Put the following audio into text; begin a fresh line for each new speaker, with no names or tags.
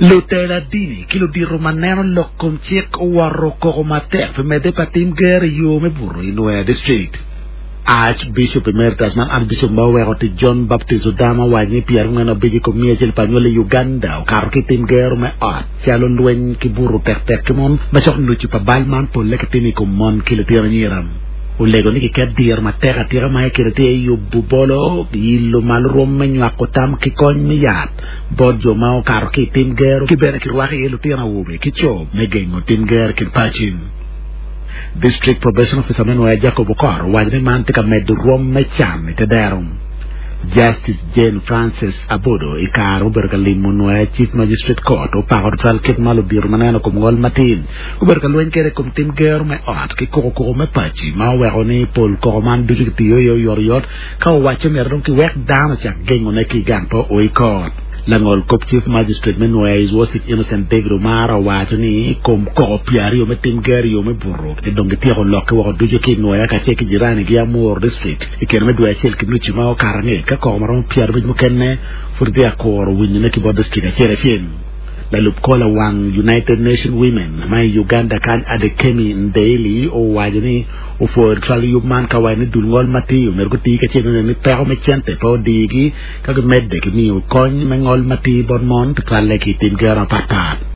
Lutela dini ki ludito ma neno lok kom cik owoto koko matek pi medde pa tim gero i yo me buto i Nwoya District. Archbishop Emeritus man Archbishop ma oweko tic John Baptist Odama owaco ni 45 i kom 100 pa anywali i Uganda okato ki i tim gero me ot calo lweny ki buto tektek ki mon ma cok nucu pa bal man polle kitimo i kom mon ki litino anyira. Olego ni kiket diro matek atika ma i kine tye yubo bolo, yilo malo rwom me nywako tam ki kony me yat bot jo ma okato ki i tim gero ki bene kirwako iye lutino awobe ki co me gengo tim gero i kin paci. District Probation Officer me Nwoya Jacob Okor owaco ni man tye ka medo rwom me can i te dero. Justice Jane Frances Abodo i kare mubedo ka limo Nwoya Chief Magistrate Court opako tutwal kit ma ludito ma neno kom ngol matin gubedo ka lweny kwede i kom tim gero me ot ki koko koko me paci ma oweko ni pol koko man ducu kitiyo iye oyotoyot Ka owacce myero dong kiwek dano ocak gengone ki i gang pe o i kot. Langol kop Chief Magistrate me Nwoya His Worship Innocent David Omara owaco ni i kom koko pyeraryo me tim gero i yo me buto ki dong gityeko lokke woko ducu ki i Nwoya kacel ki jiranigi Amuru District i kine me dwe acel ki nucu ma okato angec ka koko maromo pyerabic mukene pud gitye ka kuro winyone ki bot district acel acel. Lalub kor lawang United Nation Women ma i Uganda kany Adekemi Ndeili owaco ni Opwoyo tutwal yub man ka waco ni dul ngol matir omyero guti kacel me neno ni peko me cente pe odigi ka gimedde ki miyo kony me ngol matir bot mon tutwalle ki i tim gero mapatpat.